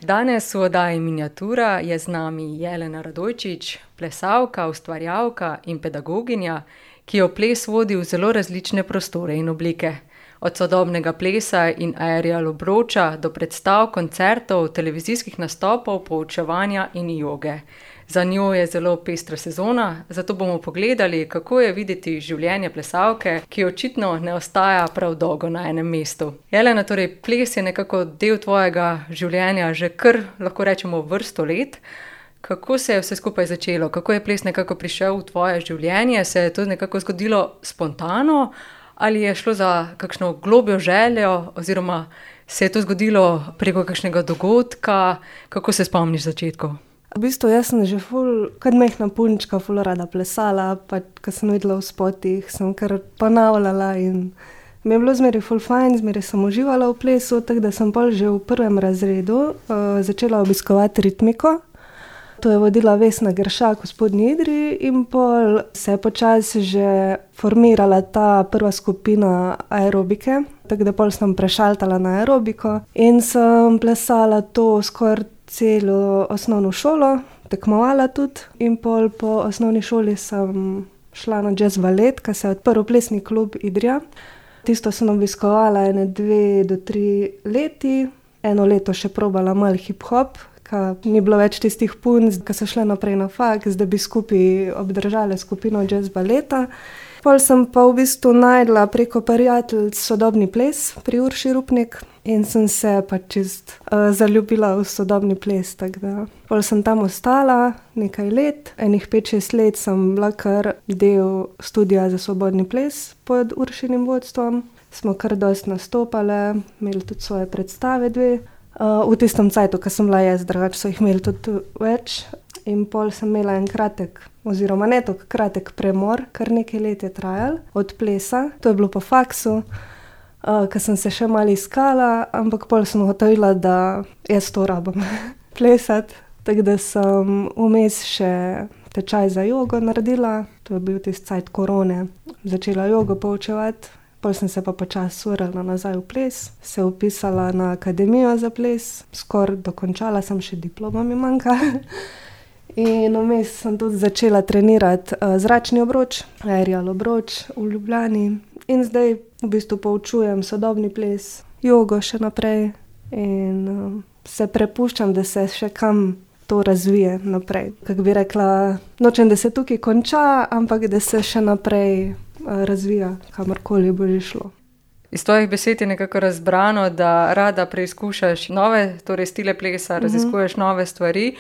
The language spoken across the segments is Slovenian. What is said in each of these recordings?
Danes v oddaji Miniatura je z nami Jelena Radojčič, plesalka, ustvarjalka in pedagoginja, ki jo ples vodi v zelo različne prostore in oblike. Od sodobnega plesa in aerial obroča do predstav, koncertov, televizijskih nastopov, poučevanja in joge. Za njo je zelo pestra sezona, zato bomo pogledali, kako je videti življenje plesalke, ki očitno ne ostaja prav dolgo na enem mestu. Jelena, torej ples je nekako del tvojega življenja že kar, lahko rečemo, vrsto let. Kako se je vse skupaj začelo? Kako je ples nekako prišel v tvoje življenje? Se je to nekako zgodilo spontano? Ali je šlo za kakšno globjo željo, oziroma se je to zgodilo preko kakšnega dogodka? Kako se spomniš začetkov? V bistvu jaz sem že kot majhna punčka ful rada plesala, pa ko sem videla v spotih, sem kar ponavljala in mi je bilo zmeraj ful fajn, zmeraj sem uživala v plesu, tako da sem pol že v 1. razredu začela obiskovati ritmiko. To je vodila Vesna Geršak v Spodnji Idriji in pol se je počasi že formirala ta prva skupina aerobike, tako da pol sem prešaltala na aerobiko in sem plesala to skoraj celo osnovno šolo, tekmovala tudi in pol po osnovni šoli sem šla na jazz balet, ko se je odprl plesni klub Idrija. Tisto sem obiskovala 2 do 3 leti, 1 leto še probala malo hip-hop, ko ni bilo več tistih punc, ko so šle naprej na faks, da bi skupaj obdržale skupino jazz baleta. Pol sem pa v bistvu najdla preko prijateljic sodobni ples pri Urši Rupnik in sem se pa čist zaljubila v sodobni ples, tako da pol sem tam ostala nekaj let, 5-6 let sem bila kar del studija za svobodni ples pod Uršinim vodstvom. Smo kar dosti nastopale, imeli tudi svoje predstave 2. V tistem cajtu, ko sem bila jaz, drugače so jih imeli tudi več. In pol sem imela en kratek, oziroma ne tako kratek premor, kar nekaj let je trajal od plesa. To je bilo po faksu, ko sem se še malo iskala, ampak pol sem ugotovila, da jaz to rabim plesati. Tako da sem vmes še tečaj za jogo naredila, to je bil tisti cajt korone, začela jogo poučevati. Pol sem se pa počasi vrnila nazaj v ples, se vpisala na akademijo za ples, skoraj dokončala sem, še diploma mi manjka. In vmes sem tudi začela trenirati zračni obroč, aerial obroč v Ljubljani. In zdaj v bistvu poučujem sodobni ples, jogo še naprej in se prepuščam, da se še kam to razvije naprej. Kako bi rekla, nočem, da se tukaj konča, ampak da se še naprej razvija, kamorkoli bo že šlo. Iz tvojih besed je nekako razbrano, da rada preizkušaš nove, torej stile plesa, raziskuješ nove stvari.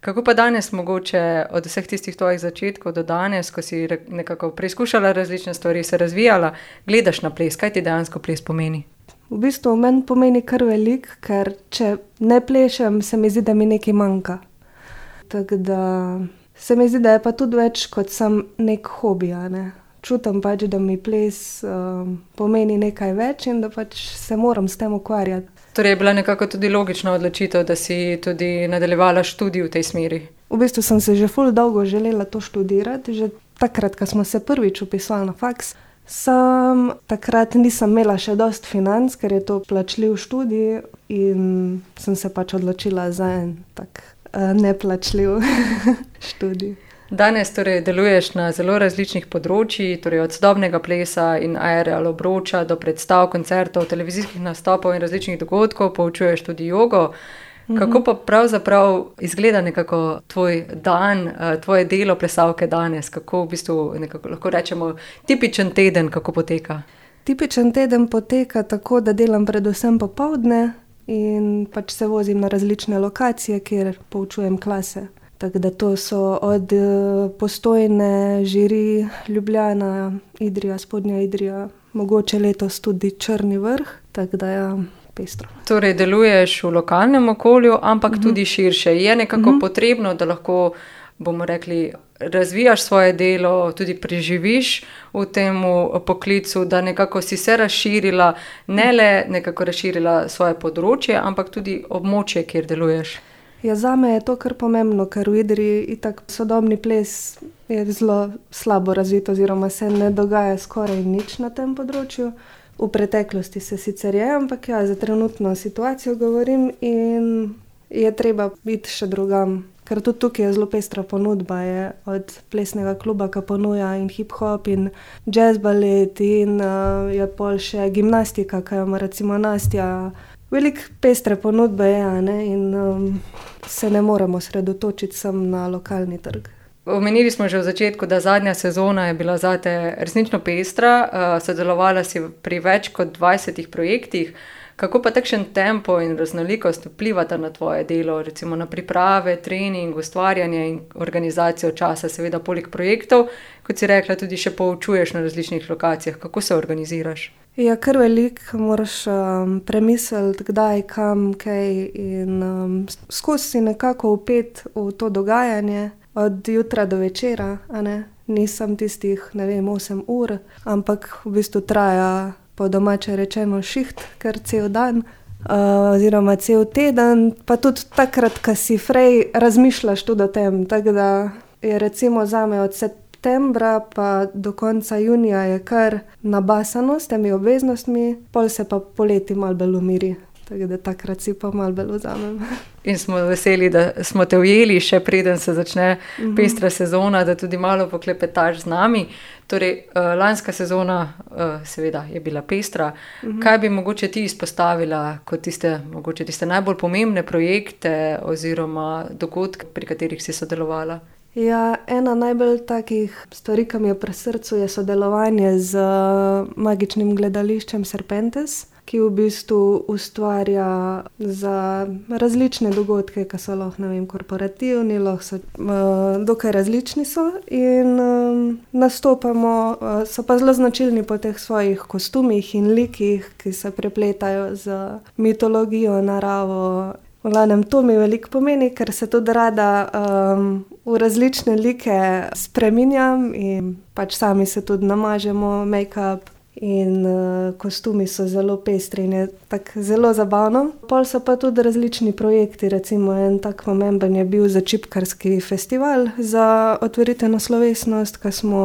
Kako pa danes mogoče od vseh tistih tvojih začetkov do danes, ko si nekako preizkušala različne stvari, se razvijala, gledaš na ples? Kaj ti dejansko ples pomeni? V bistvu meni pomeni kar veliko, ker če ne plešem, se mi zdi, da mi nekaj manjka. Tako da se mi zdi, da je pa tudi več kot sam nek hobi, ne? Čutim pač, da mi ples pomeni nekaj več in da pač se moram s tem ukvarjati. Torej je bila nekako tudi logična odločitev, da si tudi nadaljevala študij v tej smeri? V bistvu sem se že ful dolgo želela to študirati, že takrat, ko smo se prvič vpisali na faks. Takrat nisem imela še dosti financ, ker je to plačljiv študij in sem se pač odločila za en tak neplačljiv študij. Danes torej deluješ na zelo različnih področjih, torej od sodobnega plesa in aerial obroča do predstav, koncertov, televizijskih nastopov in različnih dogodkov, poučuješ tudi jogo. Kako pa pravzaprav izgleda nekako tvoj dan, tvoje delo plesalke danes? Kako v bistvu nekako lahko rečemo tipičen teden, kako poteka? Tipičen teden poteka tako, da delam predvsem popoldne in pač se vozim na različne lokacije, kjer poučujem klase. Tako da to so od Postojne, Žiri, Ljubljana, Idrija, Spodnja Idrija, mogoče letos tudi Črni Vrh, tako da ja, pestro. Torej deluješ v lokalnem okolju, ampak tudi širše. Je nekako potrebno, da lahko, bomo rekli, razvijaš svoje delo, tudi preživiš v tem poklicu, da nekako si se razširila, ne le nekako razširila svoje področje, ampak tudi območje, kjer deluješ. Ja, zame je to kar pomembno, ker v Idriji itak sodobni ples je zelo slabo razvit oziroma se ne dogaja skoraj nič na tem področju. V preteklosti se sicer je, ampak ja, za trenutno situacijo govorim in je treba biti še drugam. Ker tudi tukaj je zelo pestra ponudba, je od plesnega kluba, ki ponuja in hip-hop in jazz balet in je pol še gimnastika, ki jo ima recimo Nastja. Veliko pestre ponudbe je, ne? In se ne moremo sredotočiti samo na lokalni trg. Omenili smo že v začetku, da zadnja sezona je bila zate resnično pestra, sodelovala si pri več kot 20 projektih. Kako pa takšen tempo in raznolikost vplivata na tvoje delo, recimo na priprave, trening, ustvarjanje in organizacijo časa, seveda poleg projektov, kot si rekla, tudi še poučuješ na različnih lokacijah. Kako se organiziraš? Ja, kar veliko moraš premisliti, kdaj, kam, kaj in skozi si nekako vpet v to dogajanje od jutra do večera, a ne? Nisem tistih, 8 ur, ampak v bistvu traja po domače rečeno šiht, kar cel dan, oziroma cel teden, pa tudi takrat, ko si frej razmišljaš tudi o tem, tako da je recimo zame od septembra pa do konca junija je kar nabasano s temi obveznostmi, pol se pa poleti malo bolj umiri. Tako da takrat si pa malo bolj vzamem. In smo veseli, da smo te ujeli, še preden se začne pestra sezona, da tudi malo poklepetaš z nami. Torej, lanska sezona seveda je bila pestra. Kaj bi mogoče ti izpostavila kot tiste najbolj pomembne projekte oziroma dogodke, pri katerih si sodelovala? Ja, ena najbolj takih stvari, ki mi je pri srcu, je sodelovanje z magičnim gledališčem Serpentes, ki v bistvu ustvarja za različne dogodke, ki so lahko, korporativni, lahko so, dokaj različni so in nastopamo, so pa zelo značilni po teh svojih kostumih in likih, ki se prepletajo z mitologijo, naravo. V glavnem, to mi veliko pomeni, ker se tudi rada v različne like spreminjam in pač sami se tudi namažemo, make-up. In kostumi so zelo pestri in je tako zelo zabavno. Pol so pa tudi različni projekti, recimo en tak pomemben je bil za čipkarski festival, za otvoritveno slovesnost, ko smo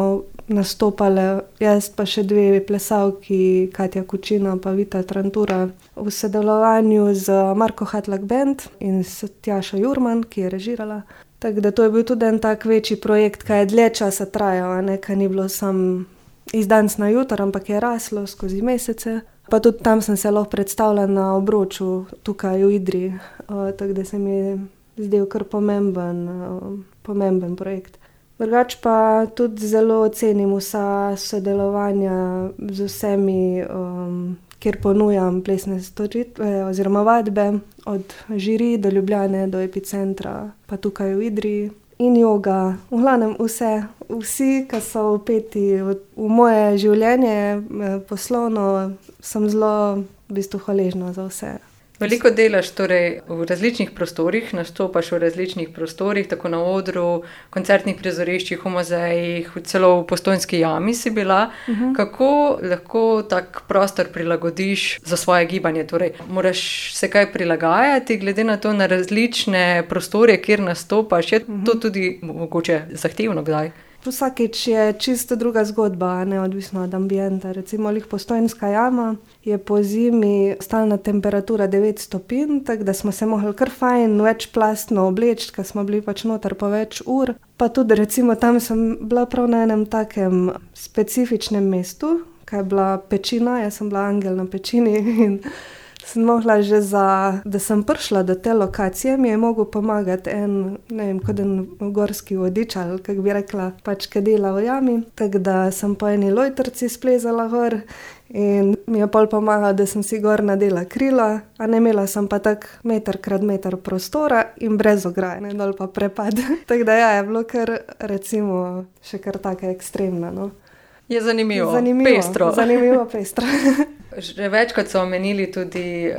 nastopale, jaz pa še 2 plesalki, Katja Kučina pa Vita Trantura, v sodelovanju z Marko Hatlak Band in s Tjašo Jurman, ki je režirala. Tako da to je bil tudi en tak večji projekt, ki je dlje časa trajal, ki ni bilo samo iz danes na jutro, ampak je raslo skozi mesece. Pa tudi tam sem se lahko predstavila na obroču tukaj v Idriji, tako da se mi je zdel kar pomemben projekt. Drugače pa tudi zelo ocenim vsa sodelovanja z vsemi, kjer ponujam plesne storitve oziroma vadbe, od Žiri do Ljubljane, do Epicentra, pa tukaj v Idriji. In joga, v glavnem vsi, ki so vpeti v moje življenje poslovno, sem zelo v bistvu hvaležna za vse. Veliko delaš torej v različnih prostorih, nastopaš v različnih prostorih, tako na odru, koncertnih prizoriščih, v muzejih, celo v Postojnski jami si bila. Kako lahko tak prostor prilagodiš za svoje gibanje? Torej, moraš se kaj prilagajati glede na to, na različne prostore, kjer nastopaš? Je to tudi mogoče zahtevno kdaj? Vsakič je čisto druga zgodba, neodvisno od ambienta. Recimo Postojnska jama je po zimi stalna temperatura 9 stopinj, tako da smo se mogli kar fajn večplastno obleči, ker smo bili pač noter po več ur. Pa tudi recimo tam sem bila prav na enem takem specifičnem mestu, kaj je bila pečina, jaz sem bila angel na pečini in sem mogla že da sem prišla do te lokacije, mi je mogel pomagati kot en gorski vodič, ali kako bi rekla, pač kaj dela v jami. Tako da sem po eni lojtrci splezala gor in mi je pol pomagal, da sem si gor nadela krila, a ne imela sem pa tak 1x1 prostora in brez ograje, dol pa prepad. Tako da ja, je bilo kar recimo še kar taka ekstremna, no. Je zanimivo, pestro. Zanimivo, pestro. Že večkrat so omenili tudi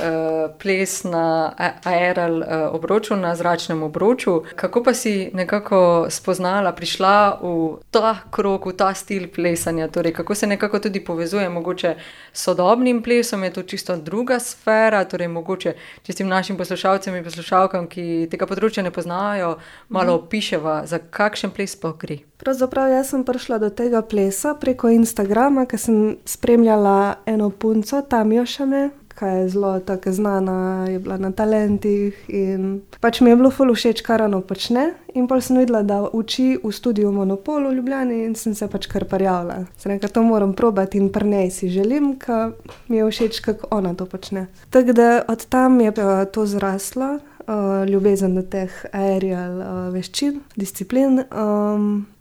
ples na aeral obroču, na zračnem obroču. Kako pa si nekako spoznala, prišla v ta krog, v ta stil plesanja? Torej, kako se nekako tudi povezuje mogoče s sodobnim plesom? Je to čisto druga sfera? Torej, mogoče čistim našim poslušalcem in poslušalkam, ki tega področja ne poznajo, malo opiševa, za kakšen ples pa gre. Pravzaprav jaz sem prišla do tega plesa preko Instagrama, ker sem spremljala eno punco, Tamjo Šame, ki je zelo tako znana, je bila na talentih in pač mi je bilo ful všeč, kar ona počne. In pol sem videla, da uči v studiu Monopol v Ljubljani in sem se pač kar prijavila. Sem rekla, to moram probati in pri njej si želim, ker mi je všeč, kako ona to počne. Tako da od tam je pa to zraslo, ljubezen do teh aerial veščin, disciplin.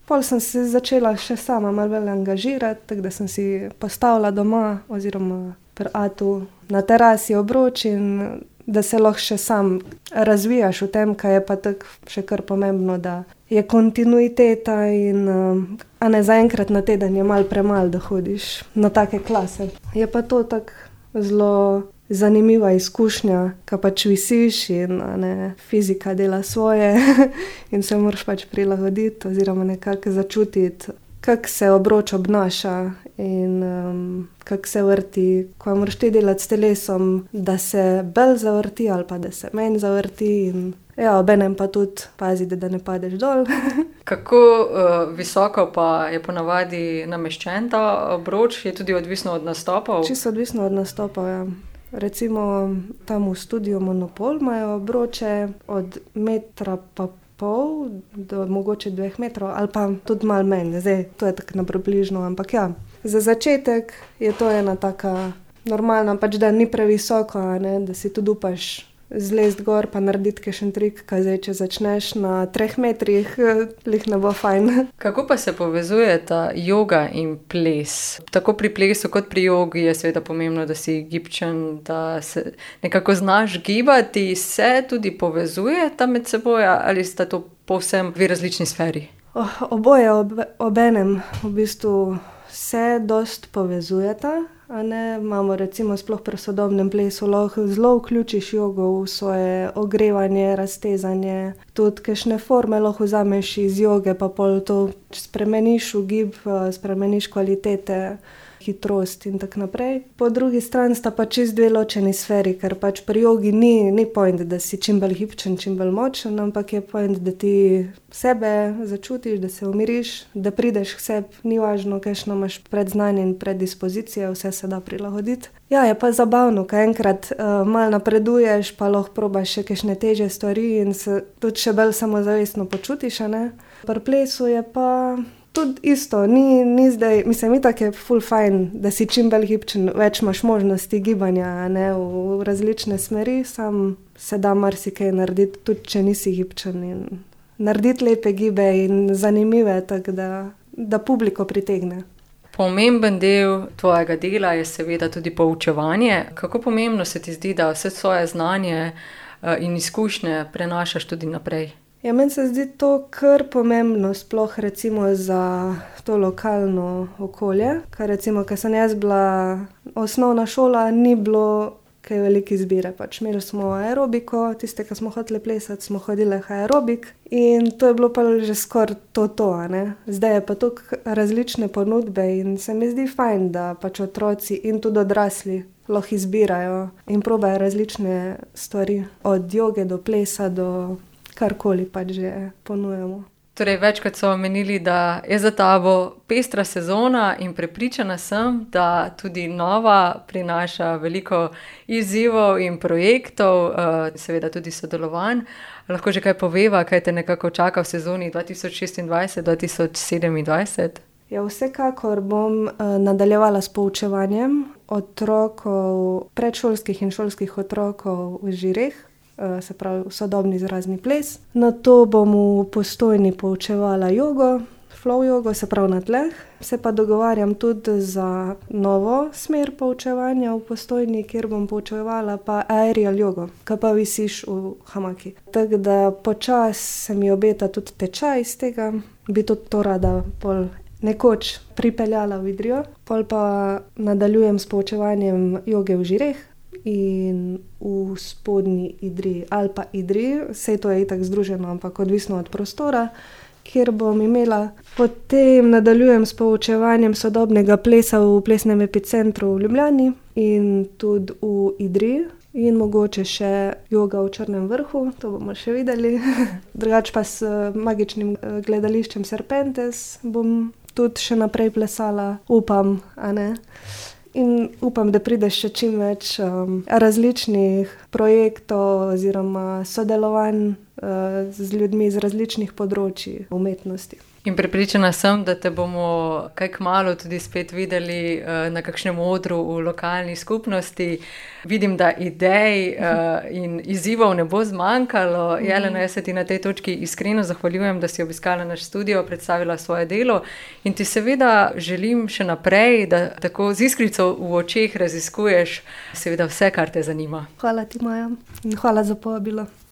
Pol sem se začela še sama malo bolj angažirati, tako da sem si postavila doma oziroma pri atu na terasi obroč in da se lahko še sam razvijaš v tem, kaj je pa tako še kar pomembno, da je kontinuiteta in a ne zaenkrat na teden je malo premalo, da hodiš na take klase. Je pa to tako zelo zanimiva izkušnja, ko pač visiš in fizika dela svoje in se moraš pač prilagoditi oziroma nekako začutiti, kako se obroč obnaša in kako se vrti, ko moraš ti delati s telesom, da se bolj zavrti ali pa da se manj zavrti in obenem pa tudi paziti, da ne padeš dol. Kako visoko pa je ponavadi nameščen ta obroč? Je tudi odvisno od nastopov? Čisto odvisno od nastopov, ja. Recimo tam v studiu Monopol imajo obroče od 1,5 m do mogoče 2 metrov ali pa tudi malo manj. Zdaj, to je tako na približno, ampak ja. Za začetek je to ena taka normalna, pač da ni previsoko, da si tudi upaš zlezti gor pa narediti kakšen trik, kaj zdaj, če začneš na 3 metrih, lih ne bo fajn. Kako pa se povezujeta joga in ples? Tako pri plesu kot pri jogi je seveda pomembno, da si gibčen, da se nekako znaš gibati. Se tudi povezujeta med seboj ali sta to povsem dve različni sferi? Oboje obenem v bistvu se dosti povezujeta. Imamo recimo sploh pri sodobnem plesu lahko zelo vključiš jogo v svoje ogrevanje, raztezanje, tudi kakšne forme lahko vzameš iz joge, pa pol to spremeniš v gib, spremeniš kvalitete, hitrost in tako naprej. Po drugi strani sta pa čisto dve ločeni sferi, ker pač pri jogi ni point, da si čim bolj gibčen, čim bolj močen, ampak je point, da ti sebe začutiš, da se umiriš, da prideš k sebi, ni važno, kakšno imaš predznanje in predispozicije, vse se da prilagoditi. Ja, je pa zabavno, ko enkrat malo napreduješ, pa lahko probaš še kakšne težje stvari in se tudi še bolj samozavestno počutiš, Pri plesu je pa tudi isto, ni zdaj, mislim, itak je ful fajn, da si čim bolj gibčen, več imaš možnosti gibanja, v različne smeri, sam se da marsikaj narediti, tudi če nisi gibčen in narediti lepe gibe in zanimive, tako da publiko pritegne. Pomemben del tvojega dela je seveda tudi poučevanje. Kako pomembno se ti zdi, da vse svoje znanje in izkušnje prenašaš tudi naprej? Ja, meni se zdi to kar pomembno, sploh recimo za to lokalno okolje, ker recimo, ko sem jaz bila osnovna šola, ni bilo kaj velike izbire, pač imeli smo aerobiko, tiste, ki smo hoteli plesati, smo hodili aerobik in to je bilo pa že skoraj to, Zdaj je pa toliko različne ponudbe in se mi zdi fajn, da pač otroci in tudi odrasli lahko izbirajo in probajo različne stvari, od joge do plesa do karkoli pač že ponujemo. Torej, večkrat so omenili, da je za tabo pestra sezona in prepričana sem, da tudi nova prinaša veliko izzivov in projektov, seveda tudi sodelovanj. Lahko že kaj poveva, kaj te nekako čaka v sezoni 2026-2027? Ja, vsekakor bom nadaljevala s poučevanjem otrokov, predšolskih in šolskih otrokov v Žireh, se pravi sodobni izrazni ples. Nato bom v Postojni poučevala jogo, flow jogo, se pravi na tleh. Se pa dogovarjam tudi za novo smer poučevanja v Postojni, kjer bom poučevala pa aerial jogo, ki pa visiš v hamaki. Tako da počas se mi obeta tudi tečaj iz tega, bi tudi to rada pol nekoč pripeljala v Idrijo. Pol pa nadaljujem s poučevanjem joge v Žireh in v spodnji Idriji ali pa Idriji, saj to je itak združeno, ampak odvisno od prostora, kjer bom imela. Potem nadaljujem s poučevanjem sodobnega plesa v plesnem epicentru v Ljubljani in tudi v Idriji in mogoče še joga v Črnem vrhu, to bomo še videli. Drugače pa s magičnim gledališčem Serpentes bom tudi še naprej plesala, upam, in upam, da prideš še čim več različnih projektov oziroma sodelovanj z ljudmi z različnih področji umetnosti. In prepričana sem, da te bomo kaj kmalu tudi spet videli na kakšnem odru v lokalni skupnosti. Vidim, da idej in izzivov ne bo zmanjkalo. Jelena, jaz se ti na tej točki iskreno zahvaljujem, da si obiskala naš studio, predstavila svoje delo in ti seveda želim še naprej, da tako z iskrico v očeh raziskuješ seveda vse, kar te zanima. Hvala ti, Maja, in hvala za povabilo.